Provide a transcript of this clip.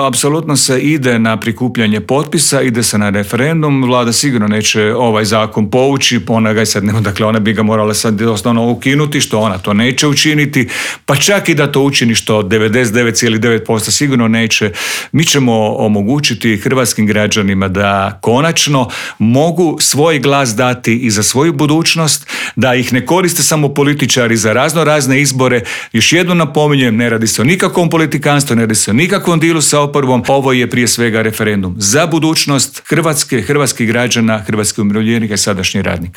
Apsolutno se ide na prikupljanje potpisa, ide se na referendum. Vlada sigurno neće ovaj zakon povući, ona ga sad nema, dakle ona bi ga morala sad osnovno ukinuti, što ona to neće učiniti, pa čak i da to učini, što 99,9% sigurno neće. Mi ćemo omogućiti hrvatskim građanima da konačno mogu svoj glas dati i za svoju budućnost, da ih ne koriste samo političari za razne izbore. Još jednom napominjem, ne radi se o nikakvom politikanstvu, ne radi se o nikakvom dilu sa oporbom. Ovo je prije svega referendum za budućnost Hrvatske, hrvatskih građana, hrvatskih umirovljenika i sadašnjih radnika.